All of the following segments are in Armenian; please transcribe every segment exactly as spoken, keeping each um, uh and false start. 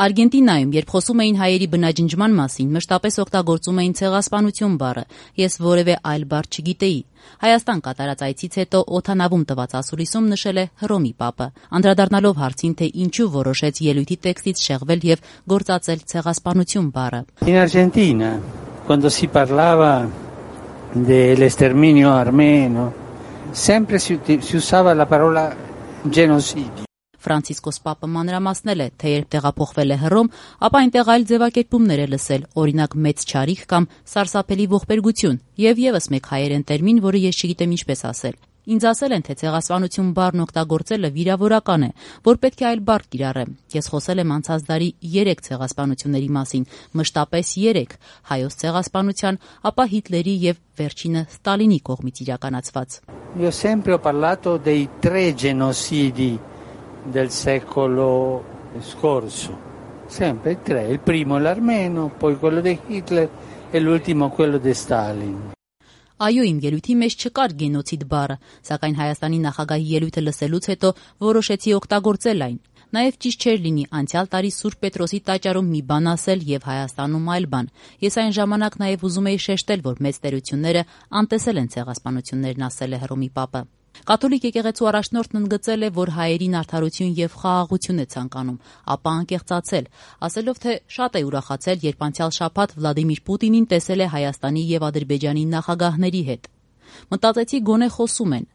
Արգենտինայում, երբ խոսում էին հայերի բնաջնջման մասին, մշտապես օգտագործում էին ցեղասպանություն բառը, ես որևէ այլ բառ չգիտեի։ Հայաստան կատարած այցից հետո օդանավում տված ասուլիսում նշել է Հռոմի Պապը, անդրադառնալով հարցին, թե ինչու որոշեց ելույթի տեքստից շեղվել եւ գործածել ցեղասպանություն բառը։ In Argentina, quando si parlava dell'esterminio armeno, sempre si, si usava la parola genocidio. Ֆրանցիսկոս Պապը մանրամասնել է, թե երբ տեղափոխվել է Հռոմ, ապա այնտեղ այլ ձևակերպումներ է լսել, օրինակ մեծ չարիք կամ սարսափելի ողբերգություն, եւ եւս մեկ հայերեն տերմին, որը ես չգիտեմ ինչպես ասել։ Ինձ ասել են, թե ցեղասպանություն բառն օգտագործելը վիրավորական է, որ պետք է այլ բառ կիրառեմ։ Ես խոսել եմ անցած դարի երեք ցեղասպանությունների մասին, մշտապես երեք՝ հայոց ցեղասպանության, ապա Հիտլերի եւ վերջինը Ստալինի կողմից իրականացված։ Io sempre ho parlato dei tre genocidi del secolo scorso, sempre tre, il primo l'armeno, poi quello di Hitler e l'ultimo quello di Stalin. Այո, իմ ելույթի մեջ չկար գենոցիդ բառը, սակայն Հայաստանի նախագահի ելույթը լսելուց հետո որոշեցի օգտագործել այն։ Նաև ճիշտ չէր լինի անցյալ տարի Սուրբ Պետրոսի տաճարում մի բան ասել եւ Հայաստանում այլ բան։ Ես այն ժամանակ նաև ուզում էի շեշտել, որ մեծ տերությունները անտեսել են ցեղասպանություններն, ասել է Հռոմի Պապը։ Կաթոլիկ եկեղեցու առաջնորդն ընդգծել է, որ հայերին արդարություն եւ խաղաղություն է ցանկանում, ապա անկեղծացել, ասելով, թե շատ է ուրախացել, երբ անցյալ շաբաթ Վլադիմիր Պուտինին տեսել է Հայաստանի եւ Ադրբեջանի նախագահների հետ։ Մտածեցի, գոնե խոսում են։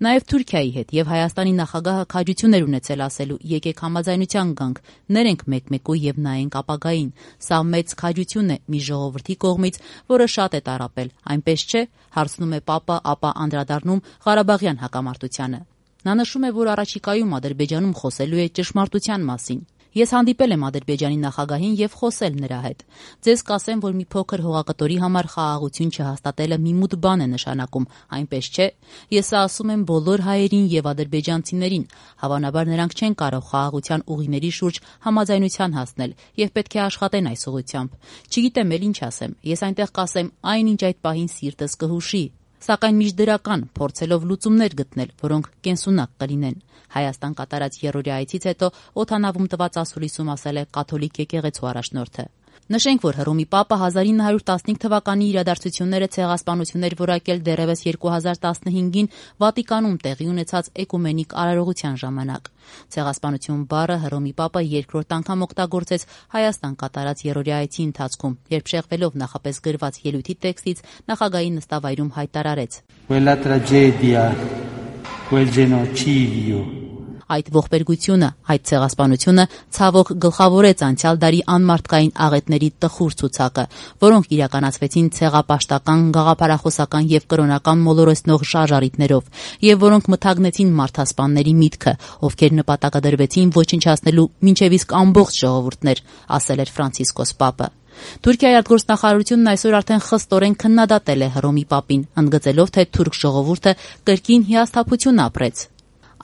Նաև Թուրքիայի հետ եւ Հայաստանի նախագահը քաջություն էր ունեցել ասելու՝ եկեք համաձայնության գանք, ներենք մեկ-մեկու եւ նայենք ապագային։ Սա մեծ քաջություն է մի ժողովրդի կողմից, որը շատ է տառապել, այնպես չէ, հարցնում է Պապը, ապա անդրադառնում Ղարաբաղյան հակամարտությանը։ Նա նշում է, որ առաջիկայում Ադրբեջանում խոսելու է ճշմարտության մասին։ Ես հանդիպել եմ Ադրբեջանի նախագահին եւ խոսել նրա հետ։ Ձեզ կասեմ, որ մի փոքր հողակտորի համար խաղաղություն չհաստատելը մի մութ բան է նշանակում, այնպես չէ։ Ես ասում եմ բոլոր հայերին եւ ադրբեջանցիներին, հավանաբար նրանք չեն կարող խաղաղության ուղիների շուրջ համաձայնության հասնել եւ պետք է աշխատեն այս ուղղությամբ։ Չգիտեմ էլ ինչ ասեմ։ Ես այնտեղ կասեմ այնինչ այդ պահին սիրտս կհուշի, սակայն միջդրական, փորձելով լուծումներ գտնել, որոնք կենսունակ կլինեն։ Հայաստան կատարած երրորդյա այցից հետո օդանավում տված ասուլիսում ասել է կաթոլիկ եկեղեցու առաջնորդը։ Նշենք, որ Հռոմի Պապը հազար ինը հարյուր տասնհինգ թվականի իրադարձությունները ցեղասպանություններ որակել դեռևս երկու հազար տասնհինգին Վատիկանում տեղի ունեցած էկումենիկ արարողության ժամանակ։ Ցեղասպանություն բառը Հռոմի Պապը երկրորդ անգամ օգտագործեց Հայաստան կատարած երրորդյա այցի ընթացքում, երբ շեղվելով նախապես գրված ելույթի տեքստից նախագահի նստավայրում հայտարարեց. Quella tragedia, quel genocidio. Այդ ողբերգությունը, այդ ցեղասպանությունը ցավոք գլխավորեց անցյալ դարի անմարդկային աղետների տխուր ցուցակը, որոնք իրականացվեցին ցեղապաշտական, գաղափարախոսական եւ կրոնական մոլորեսնող շարժարիտներով, եւ որոնք մթագնեցին մարդասպանների միտքը, ովքեր նպատակադրվեցին ոչնչացնելու մինչեւ իսկ ամբողջ ժողովուրդներ, ասել էր Ֆրանցիսկոս Պապը։ Թուրքիայի արտգործնախարարությունն այսօր արդեն խստորեն քննադատել է Հռոմի Պապին, ընդգծելով, թե թուրք ժողովուրդը կրկին հիասթափություն ապրեց։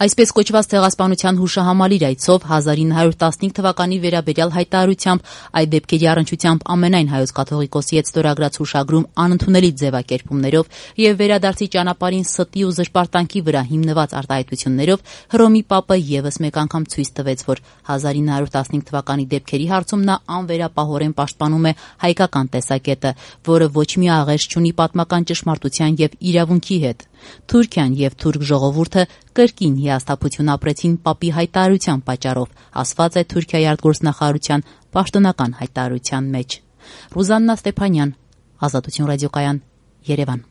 Այսպես կոչված ցեղասպանության հուշահամալիր այցով հազար ինը հարյուր տասնհինգ թվականի վերաբերյալ հայտարարությամբ այդ դեպքերի առնչությամբ ամենայն հայոց կաթողիկոսի հետ ստորագրած հուշագրում անընդունելի ձևակերպումներով եւ վերադարձի ճանապարհին ստի ու զրպարտանքի վրա հիմնված արտահայտություններով Հռոմի Պապը եւս մեկ անգամ ցույց տվեց, որ հազար ինը հարյուր տասնհինգ թվականի դեպքերի հարցում նա անվերապահորեն պաշտպանում է հայկական տեսակետը, որը ոչ մի աղերս չունի պատմական ճշմարտության եւ իրավունքի հետ։ Թուրքիան եւ թուրք ժողովուրդը կրկին հիասթափություն ապրեցին Պապի հայտարարության պատճառով, ասված է Թուրքիայի արտգործնախարարության պաշտոնական հայտարարության մեջ։ Ռուզաննա Ստեփանյան, Ազատություն ռադիոկայան, Երևան։